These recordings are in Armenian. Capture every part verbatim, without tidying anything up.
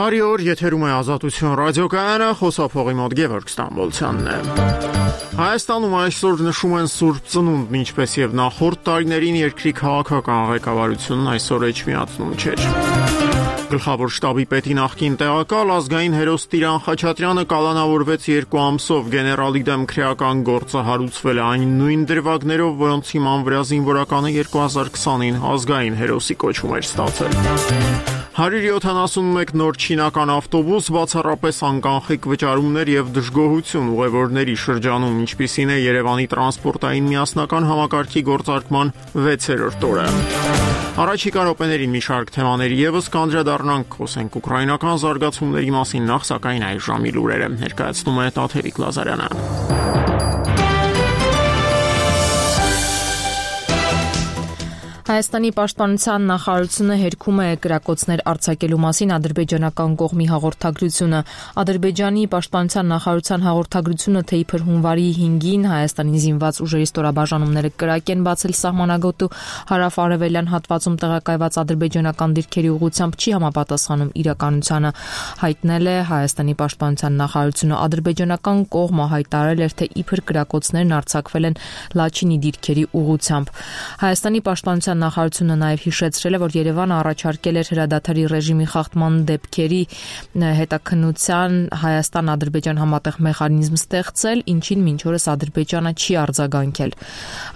Բարի օր, եթերում է Ազատություն ռադիոկայանը, խոսափողի մոտ Գևորգ Ստամբոլցյանն է։ Հայաստանում այսօր նշում են Սուրբ Ծնունդն, ինչպես եւ նախորդ տարիներին երկրի քաղաքական ղեկավարությունն այսօր էջմիածնում չէր։ Գլխավոր շտաբի պետի նախկին տեղակալ ազգային հերոս Տիրան Խաչատրյանը կալանավորվեց երկու ամսով, գեներալի դեմ քրեական գործը հարուցվել է այն նույն դրվագներով, որոնց հիման վրա զինվորականը երկու հազար քսանին ազգային հերոսի կոչում էր ստացել։ հարյուր յոթանասունմեկ նոր չինական ավտոբուս, բացառապես անկանխիկ վճարումներ եւ դժգոհություն ուղևորների շրջանում, ինչպիսին է Երևանի տրանսպորտային միասնական համակարգի գործարկման վեցերորդ օրը։ Առաջիկա րոպեներին մի շարք թեմաների եւս կանդրադառնանք, խոսենք ուկրաինական զարգացումների մասին, նախ սակայն այս ժամի լուրերը ներկայացնում է Տաթևիկ Լազարյանը։ Հայաստանի պաշտպանության նախարարությունը հերքում է կրակոցներ արձակելու մասին ադրբեջանական կողմի հաղորդագրությունը։ Ադրբեջանի պաշտպանության նախարարության հաղորդագրությունը, թե իբր հունվարի հինգին Հայաստանի զինված ուժերի ստորաբաժանումները կրակ են բացել սահմանագոտու հարավ-արևելյան հատվածում տեղակայված ադրբեջանական դիրքերի ուղղությամբ, չի համապատասխանում իրականությանը, հայտնել է Հայաստանի պաշտպանության նախարարությունը։ Ադրբեջանական կողմը հայտարարել էր, թե իբր կրակոցներն արձակվել են Լաչինի դիրքերի ուղղությամբ։ Հայաստանի պաշտպանության նախարարությունը նաև հիշեցրել է, որ Երևանը առաջարկել էր հրադադարի ռեժիմի խախտման դեպքերի հետաքննության Հայաստան-Ադրբեջան համատեղ մեխանիզմ ստեղծել, ինչին մինչ օրս Ադրբեջանը չի արձագանքել։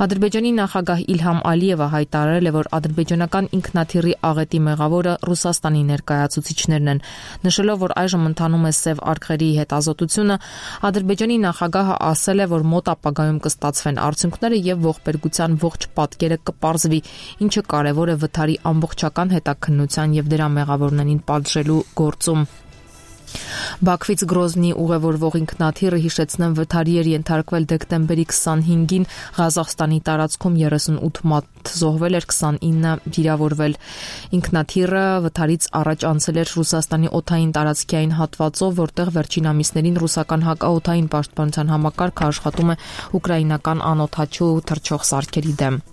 Ադրբեջանի նախագահ Իլհամ Ալիևը հայտարարել է, որ ադրբեջանական ինքնաթիռի աղետի մեղավորը Ռուսաստանի ներկայացուցիչներն են, նշելով, որ այժմ ընթանում է Սև արգղերի հետազոտությունը։ Ադրբեջանի նախագահը ասել է, որ մոտ ապագայում կստացվեն արդյունքները եւ ողբերգության ողջ պատկերը կպարզվի, ինչը կարևոր է վթարի ամբողջական հետաքննության եւ դրա մեղավորներին պատժելու գործում։ Բաքվից Գրոզնի ուղևորվող ինքնաթիռը, հիշեցնեմ, վթարի էր ենթարկվել դեկտեմբերի քսանհինգին Ղազախստանի տարածքում, երեսունութ մարդ զոհվել էր, քսանինը վիրավորվել։ Ինքնաթիռը վթարից առաջ անցել էր Ռուսաստանի օդային տարածքի այն հատվածով, որտեղ վերջին ամիսներին ռուսական հակաօդային պաշտպանության համակարգը աշխատում է ուկրաինական անօդաչու թռչող սարքերի դեմ։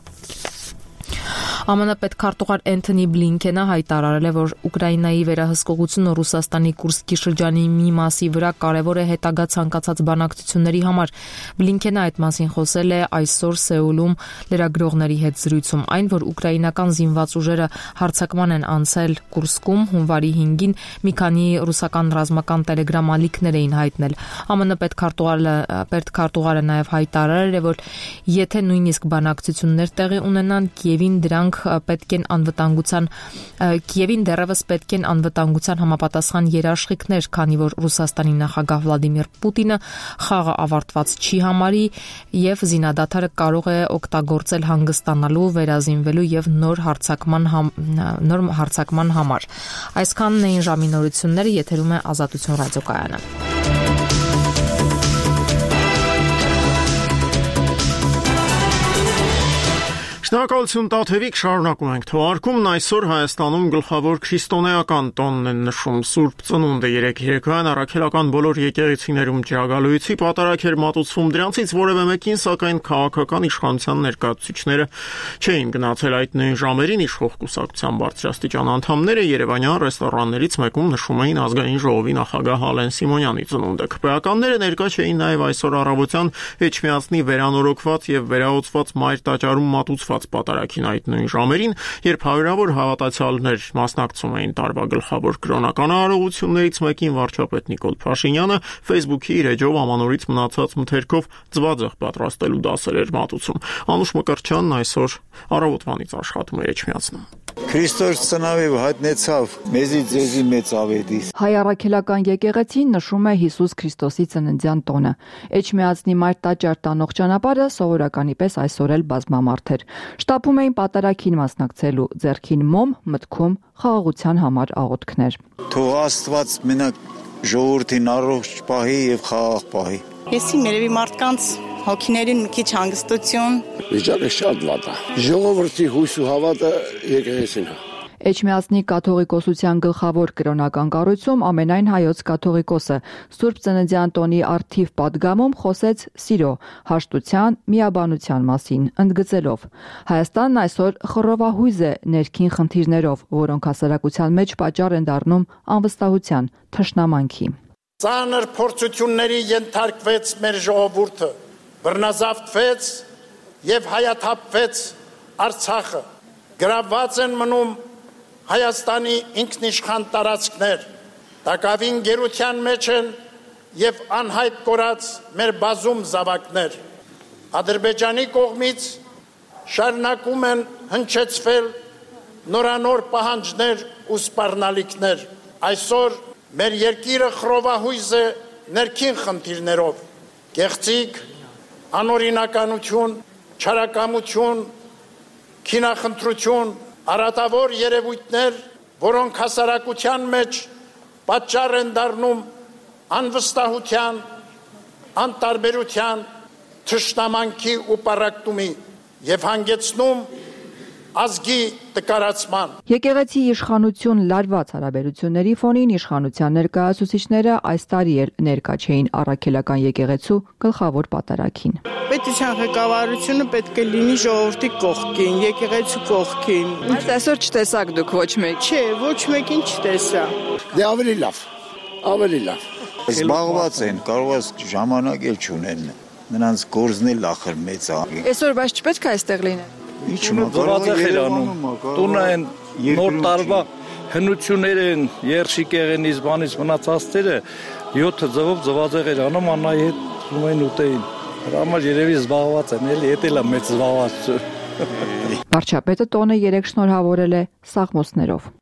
ԱՄՆ պետքարտուղար Էնթոնի Բլինքենը հայտարարել է, որ Ուկրաինայի վերահսկողությունը Ռուսաստանի Կուրսկի շրջանի մի մասի վրա կարևոր է հետագա ցանկացած բանակցությունների համար։ Բլինքենը այդ մասին խոսել է այսօր Սեուլում լրագրողների հետ զրույցում։ Այն, որ ուկրաինական զինված ուժերը հարձակման են անցել Կուրսկում հունվարի հինգին, մի քանի ռուսական ռազմական տելեգրամ ալիքներ էին հայտնել։ ԱՄՆ պետքարտուղարը պետքարտուղարը նաև հայտարարել է, որ եթե նույնիսկ բանակցություններ տեղի ունենան, Կիևին դրանք պետք են անվտանգության Կիևին դեռևս պետք են անվտանգության համապատասխան երաշխիքներ, քանի որ Ռուսաստանի նախագահ Վլադիմիր Պուտինը խաղը ավարտված չի համարի եւ զինադադարը կարող է օգտագործել հանգստանալու, վերազինվելու եւ նոր հարձակման համ, նոր հարձակման համար։ Այսքանն էին ժամի նորությունները, եթերում է Ազատություն ռադիոկայանը։ Շնորհակալություն Տաթևիկ, շարունակում ենք թողարկումն։ Այսօր Հայաստանում գլխավոր քրիստոնեական տոնն են նշում Սուրբ Ծնունդը։ Երեկ երեկոյան առաքելական բոլոր եկեղեցիներում ջրագալույցի պատարագ էր մատուցվում, դրանցից որևէ մեկին, սակայն քաղաքական իշխանության ներկայացուցիչները չէին գնացել։ Այդ նույն ժամերին իշխող կուսակցության բարձրաստիճան անդամները երևանյան ռեստորաններից մեկում նշում էին ազգային ժողովի նախագահ Ալեն Սիմոնյանի ծնունդը։ Քպեականները ներկա չէին նաև այսօր առավոտյան Էջմիածնի վերանորոգված եւ վերահոսված մայր տաճարում մատուցված պատարագին այդ նույն ժամերին, երբ հարյուրավոր հավատացյալներ մասնակցում էին տարվա գլխավոր կրոնական արարողություններից մեկին, վարչապետ Նիկոլ Փաշինյանը Facebook-ի իր էջով ամանորից մնացած մթերքով ձվածեղ պատրաստելու դասեր էր մատուցում։ Անուշ Մկրտչյանն այսօր առավոտվանից աշխատում է Էջմիածնում։ Քրիստոս ծնավի հայտնեցավ մեզի ձեզի մեծ ավետիս։ Հայ առաքելական եկեղեցին նշում է Հիսուս Քրիստոսի ծննդյան տոնը։ Էջմիածնի մայր տաճար տանող ճանապարհը սովորականի պես այսօր էլ բազմամարդ էր։ Շտապում էին պատարագին մասնակցելու, ձեռքին մոմ, մտքում խաղաղության համար աղոթքներ։ Թող Աստված մենակ ժողովրդին առողջ պահի եւ խաղաղ պահի։ Եսի մերևի մարդկանց հոգիներին մի քիչ հանգստություն։ Վիճակը շատ վատ է։ Ժողովրդի հույս ու հավատը եկեղեցին է։ Էջմիածնի կաթողիկոսության գլխավոր կրոնական կառույցում ամենայն հայոց կաթողիկոսը Սուրբ Ծննդյան տոնի առթիվ պատգամում խոսեց սիրո, հաշտության, միաբանության մասին, ընդգծելով. Հայաստանն այսօր խռովահույզ է ներքին խնդիրներով, որոնք հասարակության մեջ պատճառ են դառնում անվստահության, թշնամանքի։ Ծանր փորձությունների ենթարկվեց մեր ժողովուրդը, բռնազավթվեց եւ հայաթափվեց Արցախը, գրավված են մնում Հայաստանի ինքնիշխան տարածքներ, տակավին գերության մեջ են եւ անհայտ կորած մեր բազում զավակներ։ Ադրբեջանի կողմից շարունակում են հնչեցվել նորանոր պահանջներ ու սպառնալիքներ։ Այսօր մեր երկիրը խռովահույզ է ներքին խնդիրներով, գեղձիկ, անօրինականություն, չարակամություն, քինախնդրություն, արատավոր երևույթներ, որոնք հասարակության մեջ պատճառ են դառնում անվստահության, անտարբերության, թշնամանքի ու պառակտումի եւ հանգեցնում ազգի տկարացման։ Եկեղեցի իշխանություն լարված հարաբերությունների ֆոնին իշխանության ներկայացուցիչները այս տարի էլ ներկա չէին առաքելական եկեղեցու գլխավոր պատարագին։ Պետության ղեկավարությունը պետք է լինի ժողովրդի կողքին, եկեղեցու կողքին։ Բայց այսօր չտեսաք դուք ոչ մեկ։ Չէ, ոչ մեկին չտեսա։ Դե ավելի լավ, ավելի լավ։ Զբաղված են, կարող է ժամանակ էլ չունեն։ Նրանց գործն էլ ախր մեծ է։ Այսօր բայց չպետք է այստեղ լինեն։ Տունը են նոր տարվա հնություններ են, երշիկ եղենից բանից մնացածները յոթ ձվով ձվածեղ էր անում անայի հետ ունեն ուտեին։ Համար երևի զբաղված են, էլի էդ էլ է մեծ զբաղված։ Վարչապետը տոնը երեք շնորհավորել է սաղմոսներով։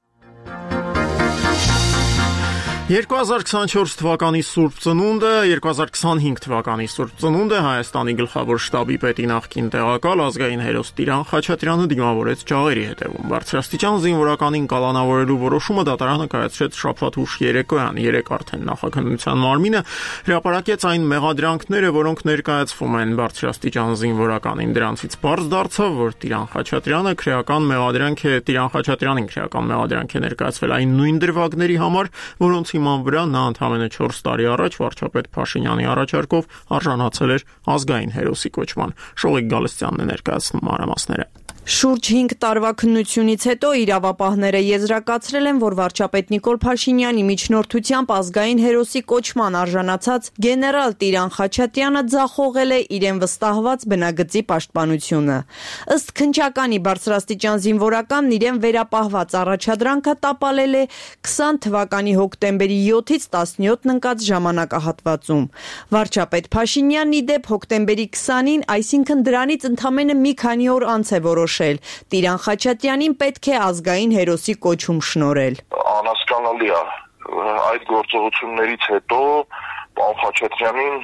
երկու հազար քսանչորս թվականի Սուրբ Ծնունդը, երկու հազար քսանհինգ թվականի Սուրբ Ծնունդը Հայաստանի գլխավոր շտաբի պետի նախկին տեղակալ ազգային հերոս Տիրան Խաչատրյանը դիմավորեց ջաղերի հետևում։ Բարձրաստիճան զինվորականին կալանավորելու որոշումը դատարանը կայացրեց շաբաթ ուշ երեկոյան, երեք արդեն նախաքննության մարմինը հրապարակեց այն մեղադրանքները, որոնք ներկայացվում են բարձրաստիճան զինվորականին։ Դրանցից պարզ դարձավ, որ Տիրան Խաչատրյանը քրեական մեղադրանք է, Տիրան Խաչատրյանին քրեական մեղադրանք է ներկայացվել այն նույն դրվագների համար, որոնց հիման վրա նա ընդամենը չորս տարի առաջ վարչապետ Փաշինյանի առաջարկով արժանացել էր ազգային հերոսի կոչման։ Շողիկ Գալստյանն է ներկայացնում մանրամասները։ Շուրջ հինգ տարվա քննությունից հետո իրավապահները եզրակացրել են, որ վարչապետ Նիկոլ Փաշինյանի միջնորդությամբ ազգային հերոսի կոչման արժանացած գեներալ Տիրան Խաչատրյանը ձախողել է իրեն վստահված բնագծի պաշտպանությունը։ Ըստ քննչականի բարձրաստիճան զինվորականն իրեն վերապահված առաջադրանքը տապալել է քսան թվականի հոկտեմբերի յոթից տասնյոթն ընկած ժամանակահատվածում։ Վարչապետ Փաշինյանն ի դեպ հոկտեմբերի քսանին, այսինքն դրանից ընդամենը մի քանի օր անց է որոշել Տիրան Խաչատրյանին պետք է ազգային հերոսի կոչում շնորհել։ Անհասկանալի է այդ գործողություններից հետո պարոն Խաչատրյանին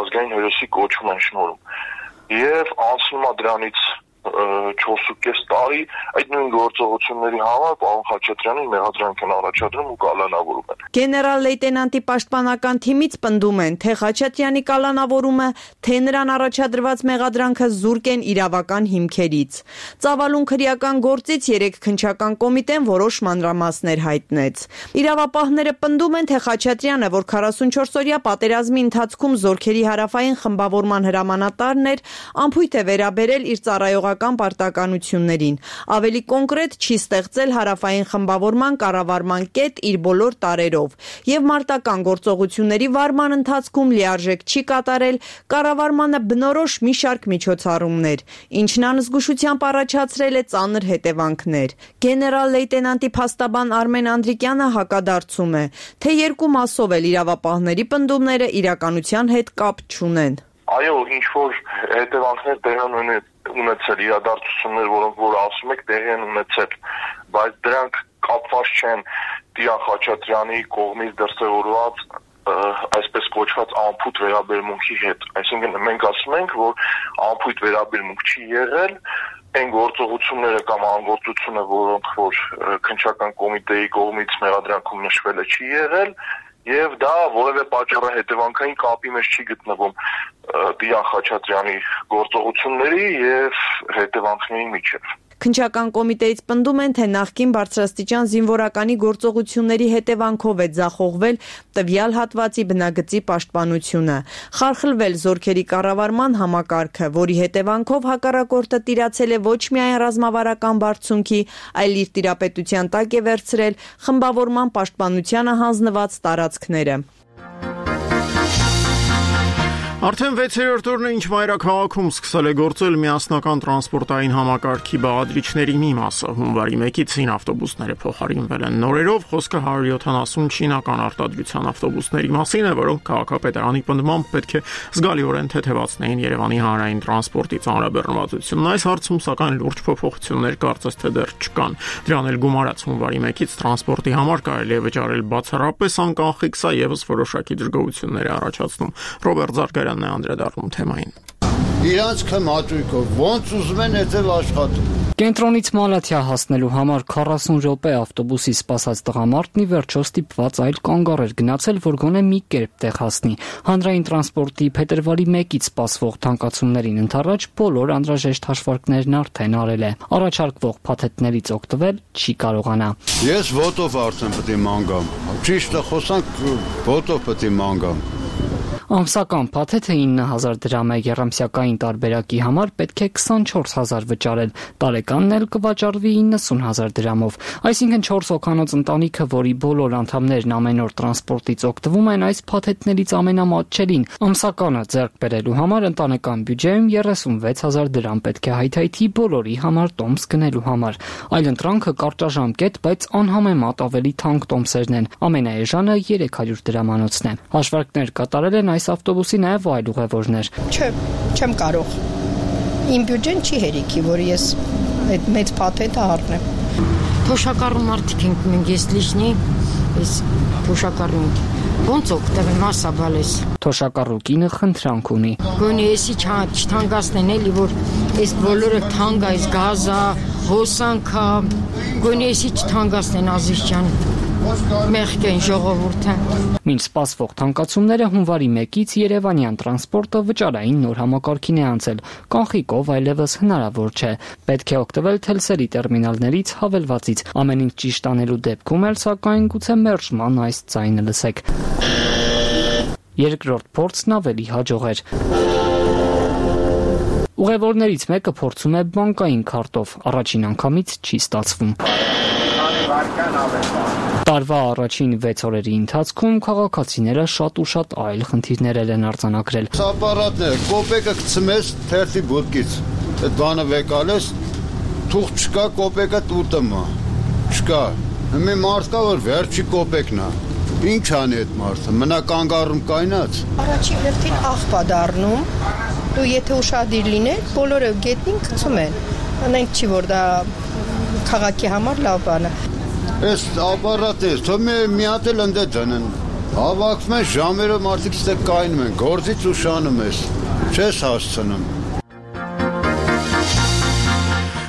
ազգային հերոսի կոչում են շնորհում եւ անցնում է դրանից չորսուկես տարի այդ նույն գործողությունների համար պարոն Խաչատրյանին մեղադրանք են առաջադրում ու կալանավորում են։ Գեներալ լեյտենանտի պաշտպանական թիմից պնդում են, թե Խաչատրյանի կալանավորումը, թե նրան առաջադրված մեղադրանքը զուրկ են իրավական հիմքերից։ Ծավալուն քրեական գործից երեք քննչական կոմիտեն որոշ մանրամասներ հայտնեց։ Իրավապահները պնդում են, թե Խաչատրյանը, որ քառասունչորսօրյա պատերազմի ընթացքում զորքերի հարավային խմբավորման հրամանատարն էր, անփույթ է վերաբերել իր ծառայողական պարտականություններին։ Ավելի կոնկրետ չի ստեղծել հարավային խմբավորման կառավարման կետ իր բոլոր տարերով եւ մարտական գործողությունների վարման ընթացքում լիարժեք չի կատարել կառավարմանը բնորոշ մի շարք միջոցառումներ, ինչն անզգուշությամբ առաջացրել է ծանր հետևանքներ։ Գեներալ լեյտենանտի փաստաբան Արմեն Անդրիկյանը հակադարձում է, թե երկու մասով էլ իրավապահների պնդումները իրականության հետ կապ չունեն։ Այո, ինչ որ հետևանքներ տեղի են ունեցել, իրադարձություններ, որոնք որ ասում եք, տեղի են ունեցել, բայց դրանք կապված չեն Տիրան Խաչատրյանի կողմից դրսևորված այսպես կոչված անփույթ վերաբերմունքի հետ։ Այսինքն մենք ասում ենք, որ անփույթ վերաբերմունք չի եղել, այն գործողությունները կամ անգործությունը, որոնք որ քննչական կոմիտեի կողմից մեղադրանքում նշվել է, չի եղել, եւ դա որևէ պատճառը հետևանքային կապի մեջ չի գտնվում Տիրան Խաչատրյանի գործողությունների եւ հետևանքների միջեւ։ Քննչական կոմիտեից պնդում են, թե նախկին բարձրաստիճան զինվորականի գործողությունների հետևանքով է ձախողվել տվյալ հատվածի բնագծի պաշտպանությունը, խարխլվել զորքերի կառավարման համակարգը, որի հետևանքով հակառակորդը տիրացել է ոչ միայն ռազմավարական բարձունքի, այլ իր տիրապետության տակ է վերցրել խմբավորման պաշտպանությանը հանձնված տարածքները։ Արդեն վեցերորդ օրն է, ինչ մայրաքաղաքում սկսել է գործել միասնական տրանսպորտային համակարգի բաղադրիչների մի մասը։ Հունվարի մեկից ցին ավտոբուսները փոխարինվել են նորերով, խոսքը հարյուր յոթանասուն չինական արտադրության ավտոբուսների մասին է, որոնք քաղաքապետարանի պնդմամբ պետք է զգալիորեն թեթևացնեին Երևանի հանրային տրանսպորտի ծանրաբեռնվածությունն։ Այս հարցում սակայն լուրջ փոփոխություններ կարծես թե դեռ չկան։ Դրան էլ գումարած հունվարի մեկից տրանսպորտի համար կարելի է վճարել բացառապես անկանխիկ, սա եւս որոշակի դժգոհություններ է առաջացնում։ Ռոբերտ Զարգարյանն է անդրադառնում թեմային։ Իրանց քմաճույքով ոնց ուզում են այդպես աշխատում։ Կենտրոնից Մալաթիա հասնելու համար քառասուն րոպե ավտոբուսի սպասած տղամարդն ի վերջո ստիպված այլ կանգառ էր գնացել, որ գոնե մի կերպ տեղ հասնի։ Հանրային տրանսպորտի փետրվարի մեկից սպասվող թանկացումներին ընդառաջ բոլոր անհրաժեշտ հաշվարկներն արդեն արել է։ Առաջարկվող փաթեթներից օգտվել չի կարողանա։ Ես ոտով արդեն պետք է ման գամ։ Ճիշտ է խոսանք, ոտով պետք է ման գամ։ Ամսական փաթեթը ինը հազար դրամ է, եռամսյակային տարբերակի համար պետք է քսանչորս հազար վճարել, տարեկանն էլ կվաճառվի իննսուն հազար դրամով։ Այսինքն չորս հոգանոց ընտանիքը, որի բոլոր անդամներն ամեն օր տրանսպորտից օգտվում են, այս փաթեթներից ամենամատչելին ամսականը ձեռք բերելու համար ընտանեկան բյուջեում երեսունվեց հազար դրամ պետք է հայթայթի բոլորի համար տոմս գնելու համար։ Այլ ընտրանքը կարճաժամկետ, բայց անհամեմատ ավելի թանկ տոմսերն են։ Ամենաէժանը երեք հարյուր դրամանոցն է։ Հաշվարկներ կատարել են այս ավտոբուսի նաև այլ ուղևորներ։ Չէ, չեմ կարող։ Իմ բյուջեն չի հերիքի, որ ես այդ մեծ փաթեթը առնեմ։ Թոշակառու մարդիկ ենք մենք, ես լիշնի, ես թոշակառու ոնց օգտվել մասաբալես։ Թոշակառու կինը խնդրանք ունի։ Գոնե էսի չթանկացնեն էլի, որ այս բոլորը թանկ, այս գազա, հոսանքա, գոնե էսի չթանկացնեն Ազիզյան։ Մեղքեն ժողովուրդը։ Մինչ սպասվող թանկացումները հունվարի մեկից երևանյան տրանսպորտը վճարային նոր համակարգին է անցել։ Կանխիկով այլևս հնարավոր չէ։ Պետք է օգտվել թելսերի տերմինալներից հավելվածից։ Ամեն ինչ ճիշտ անելու դեպքում էլ սակայն գուցե մերժման այս ձայնը լսեք։ Երկրորդ փորձն ավելի հաջող էր։ Ուղևորներից մեկը փորձում է բանկային քարտով, առաջին անգամից չի ստացվում։ Տարվա առաջին վեց օրերի ընթացքում քաղաքացիները շատ ու շատ այլ խնդիրներ են արձանագրել։ Ապարատն է, կոպեկը գցմես թերթի բուտկից։ Այդ բանը վեկալես, թուղ չկա, կոպեկը տուտմա։ Չկա։ Մի մարդ կա, որ վերջի կոպեկն է։ Ինչ անի այդ մարդը, մնա կանգառում կայնած։ Առաջին հերթին աղբա դառնում, ու եթե ուշադիր լինեք, բոլորը գետնին գցում են։ Անենք չի, որ դա քաղաքի համար լավ բան է։ Այս ապարատը, թող մի հատ էլ ընդ դնեն։ Հավաքվում են ժամերը մարդիկ ստե կայնում են, գործից ուշանում ես, չես հասցնում։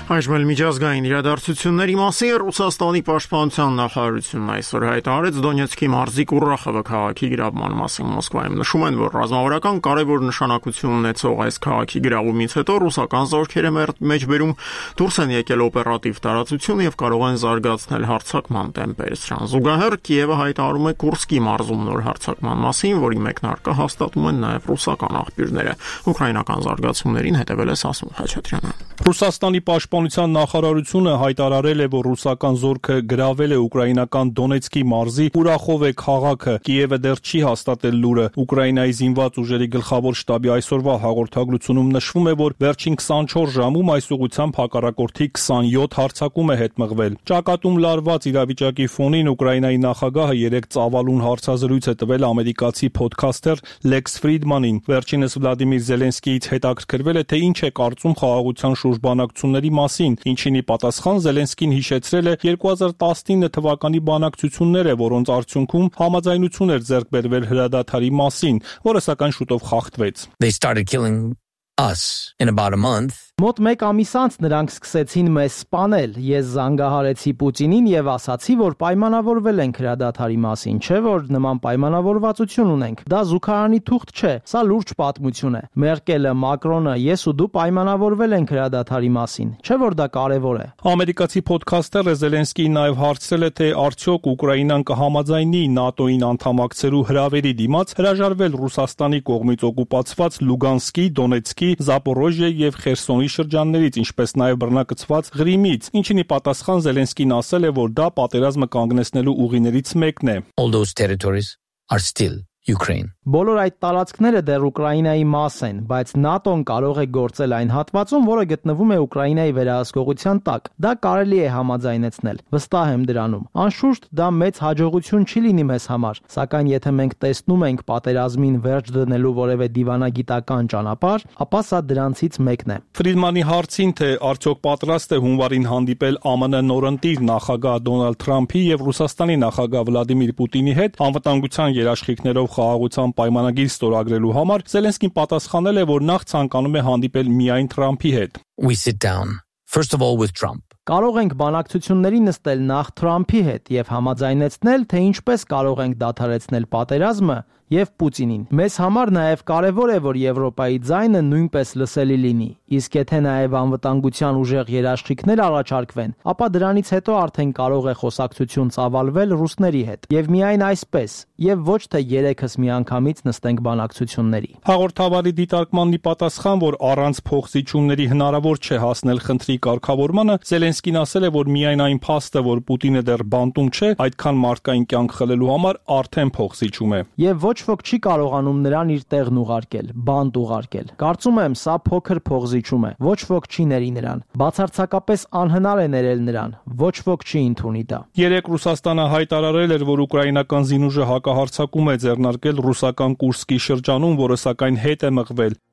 Այժմ էլ միջազգային իրադարձությունների մասին Ռուսաստանի պաշտպանության նախարարությունն այսօր հայտարարեց Դոնեցկի մարզի Կուրախովը քաղաքի գրավման մասին։ Մոսկվայում նշում են, որ ռազմավարական կարևոր նշանակություն ունեցող այս քաղաքի գրավումից հետո ռուսական զորքերը մեջբերում դուրս են եկել օպերատիվ տարածություն եւ կարող են զարգացնել հարձակման տեմպերը։ Սրան զուգահեռ Կիևը հայտարարում է Կուրսկի մարզում նոր հարձակման մասին, որի մեկնարկը հաստատում են նաեւ ռուսական աղբյուրները։ Ուկրաինական զարգացումներին հետևել է Սասուն Խաչատրյանը։ Ռուսաստանի պաշտպանության նախարարությունը հայտարարել է, որ ռուսական զորքը գրավել է ուկրաինական Դոնեցկի մարզի Կուրախովե քաղաքը։ Կիևը դեռ չի հաստատել լուրը։ Ուկրաինայի զինված ուժերի գլխավոր շտաբի այսօրվա հաղորդագրությունում նշվում է, որ վերջին քսանչորս ժամում այս ուղղությամբ հակառակորդի քսանյոթ հարձակում է հետմղվել։ Ճակատում լարված իրավիճակի ֆոնին Ուկրաինայի նախագահը երեկ ծավալուն հարցազրույց է տվել ամերիկացի փոդքասթեր Լեքս Ֆրիդմանին։ Վերջինս Վլադիմիր Զելենսկիից հետաքրքրվել է, թե ինչ է կարծում խաղաղության շուրջ բանակցությունների մասին, ինչինի պատասխան Զելենսկին հիշեցրել է երկու հազար տասնինը թվականի բանակցությունները, որոնց արդյունքում համաձայնություն էր ձեռք բերվել հրադադարի մասին, որը սակայն շուտով խախտվեց. They started killing us in about a month. Մոտ մեկ ամիս անց նրանք սկսեցին մեզ սպանել։ Ես զանգահարեցի Պուտինին եւ ասացի, որ պայմանավորվել ենք հրադադարի մասին, չէ՞ որ նման պայմանավորվածություն ունենք։ Դա զուգարանի թուղթ չէ, սա լուրջ պատմություն է։ Մերկելը, Մակրոնը, ես ու դու պայմանավորվել ենք հրադադարի մասին, չէ՞ որ դա կարեւոր է։ Ամերիկացի ոդքասթերը Զելենսկիին նաեւ հարցրել է, թե արդյոք Ուկրաինան կհամաձայնի ՆԱՏՕ-ին անդամակցելու հրավերի դիմաց հրաժարվել Ռուսաստանի կողմից օկուպացված Լուգանսկի, Դոնեցկի, Զապորոժիե եւ Խերսոնի շրջաններից, ինչպես նաեւ բռնակցված Ղրիմից, ինչին ի պատասխան Զելենսկին ասել է, որ դա պատերազմը կանգնեցնելու ուղիներից մեկն է։ All those territories are still Ukraine. Բոլոր այդ տարածքները դեռ Ուկրաինայի մաս են, բայց ՆԱՏՕ-ն կարող է գործել այն հատվածում, որը գտնվում է Ուկրաինայի վերահսկողության տակ։ Դա կարելի է համաձայնեցնել։ Վստահ եմ դրանում։ Անշուշտ դա մեծ հաջողություն չի լինի մեզ համար, սակայն եթե մենք տեսնում ենք պատերազմին վերջ դնելու որևէ դիվանագիտական ճանապարհ, ապա սա դրանցից մեկն է։ Ֆրիդմանի հարցին, թե արդյոք պատրաստ է հունվարին հանդիպել ԱՄՆ նորընտիր նախագահ Դոնալդ Թրամփի եւ Ռուսաստանի նախագահ Վլադիմիր Պուտինի հետ անվտանգության երաշխիքներով խաղաղության պայմանագիր ստորագրելու համար, Զելենսկին պատասխանել է, որ նախ ցանկանում է հանդիպել միայն Թրամփի հետ։ We sit down first of all with Trump. Կարող ենք բանակցությունների նստել նախ Թրամփի հետ եւ համաձայնեցնել, թե ինչպես կարող ենք դադարեցնել պատերազմը եւ Պուտինին։ Մեզ համար նաեւ կարեւոր է, որ Եվրոպայի ձայնը նույնպես լսելի լինի։ Իսկ եթե նաեւ անվտանգության ուժեղ երաշխիքներ առաջարկվեն, ապա դրանից հետո արդեն կարող է խոսակցություն ծավալվել ռուսների հետ։ Եվ միայն այսպես, եւ ոչ թե երեքս միանգամից նստենք բանակցությունների։ Հաղորդավարի դիտարկմանն ի պատասխան, որ առանց փոխզիջումների հնարավոր չէ հասնել խնդրի կարգավորմանը, Զելենսկին ասել է, որ միայն այն փաստը, որ Պուտինը դեռ բանտում չէ, այդքան մարդկային կյանք խլելու համար արդեն փոխզիջում է։ Եվ ոչ ոք չի կարողանում նրան իր տեղն ուղարկել, բանտ ուղարկել։ Կարծում եմ, սա փոքր փոխզիջում է։ Ոչ ոք չի ների նրան։ Բացարձակապես անհնար է ներել նրան։ Ոչ ոք չի ընդունի դա։ Երեք Ռուսաստանը հայտարարել էր, որ ուկրաինական զինուժը հակահարձակում է ձեռնարկել ռուսական Կուրսկի շրջանում, որը սակայն հետ է մղվել։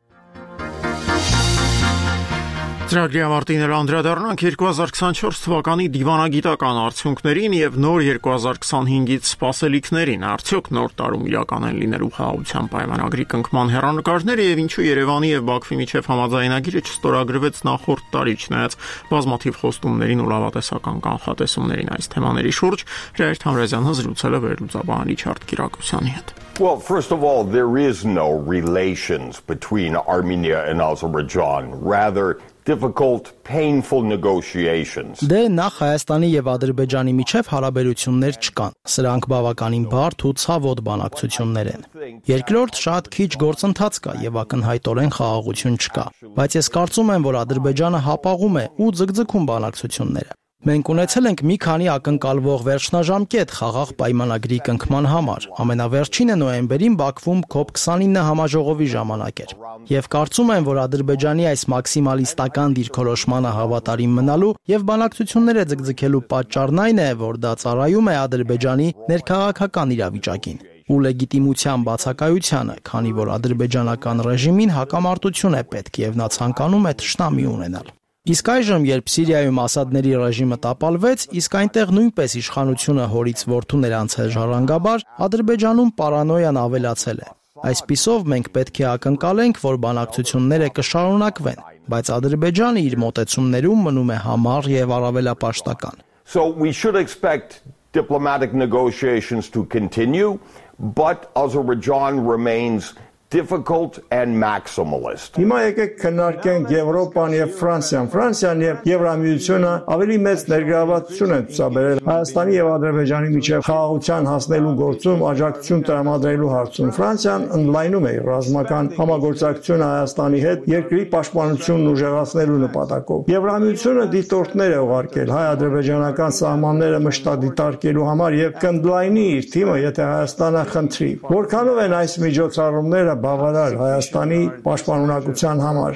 Ծրագրի ավարտին անդրադառնանք երկու հազար քսանչորս թվականի դիվանագիտական արդյունքներին եւ նոր երկու հազար քսանհինգից սպասելիքներին։ Արդյոք նոր տարում իրական են լինելու խաղաղության պայմանագրի կնքման հեռանկարները եւ ինչու Երևանի եւ Բաքվի միջև համաձայնագիրը չստորագրվեց նախորդ տարի, չնայած բազմաթիվ խոստումներին ու լավատեսական կանխատեսումներին այս թեմաների շուրջ Հրայր Թամրազյանը զրուցել է վերլուծաբան Ռիչարդ Կիրակոսյանի հետ։ Well, first of all, there is no relations between Armenia and Azerbaijan. Rather, difficult, painful negotiations. Դե նախ Հայաստանի եւ Ադրբեջանի միջև հարաբերություններ չկան։ Սրանք բավականին բարդ ու ցավոտ բանակցություններ են։ Երկրորդ, շատ քիչ գործընթաց կա եւ ակնհայտորեն խաղաղություն չկա։ Բայց ես կարծում եմ, որ Ադրբեջանը հապաղում է ու ձգձգում բանակցությունները։ Մենք ունեցել ենք մի քանի ակնկալվող վերջնաժամկետ խաղաղ պայմանագրի կնքման համար։ Ամենավերջինը նոյեմբերին Բաքվում կոպ քսանինը համաժողովի ժամանակ էր։ Եվ կարծում եմ, որ Ադրբեջանի այս մաքսիմալիստական դիրքորոշմանը հավատարիմ մնալու եւ բանակցությունները ձգձգելու պատճառն այն է, որ դա ծառայում է Ադրբեջանի ներքաղաքական իրավիճակին ու լեգիտիմության բացակայությանը, քանի որ ադրբեջանական ռեժիմին հակամարտություն է պետք եւ նա ցանկանում է թշնամի ունենալ։ Իսկ այժմ, երբ Սիրիայում Ասադների ռեժիմը տապալվեց, իսկ այնտեղ նույնպես իշխանությունը հորից որդուն էր անցել ժառանգաբար, Ադրբեջանում պարանոյան ավելացել է։ Այսպիսով մենք պետք է ակնկալենք, որ բանակցությունները կշարունակվեն, բայց Ադրբեջանը իր մոտեցումներում մնում է համառ եւ առավելապաշտական։ So we should expect diplomatic negotiations to continue, but Azerbaijan remains difficult and maximalist. Հիմա եկեք քննարկենք Եվրոպան եւ Ֆրանսիան։ Ֆրանսիան եւ Եվրամիությունը ավելի մեծ ներգրավվածություն են ցուցաբերել Հայաստանի եւ Ադրբեջանի միջև խաղաղության հասնելու գործում աջակցություն տրամադրելու հարցում։ Ֆրանսիան ընդլայնում է ռազմական համագործակցությունը Հայաստանի հետ երկրի պաշտպանությունն ուժեղացնելու նպատակով։ Եվրամիությունը դիտորդներ է ուղարկել հայ-ադրբեջանական սահմանները մշտադիտարկելու համար եւ կընդլայնի իր թիմը, եթե Հայաստանը խնդրի։ Որքանով են այս միջոցառումները բավարար Հայաստանի պաշտպանունակության համար։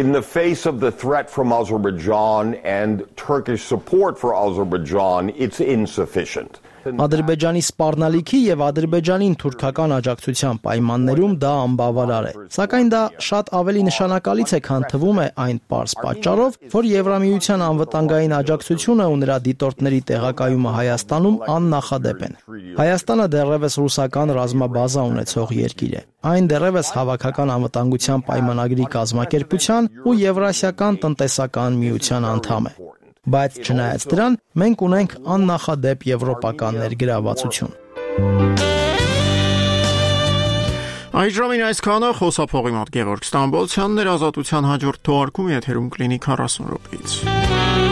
In the face of the threat from Azerbaijan and Turkish support for Azerbaijan, it's insufficient. Ադրբեջանի սպառնալիքի եւ Ադրբեջանին թուրքական աջակցության պայմաններում դա անբավարար է։ Սակայն դա շատ ավելի նշանակալից է, քան թվում է այն պարզ պատճառով, որ Եվրամիության անվտանգային աջակցությունը ու նրա դիտորդների տեղակայումը Հայաստանում աննախադեպ են։ Հայաստանը դեռևս ռուսական ռազմաբազա ունեցող երկիր է։ Այն դեռևս հավաքական անվտանգության պայմանագրի կազմակերպության ու Եվրասիական տնտեսական միության անդամ է։ Բայց չնայած դրան, մենք ունենք աննախադեպ եվրոպական ներգրավվածություն։ Այժմին այսքանը, խոսափողի մոտ Գևորգ Ստամբոլցյանն էր, Ազատության հաջորդ թողարկումը եթերում կլինի քառասուն րոպեից։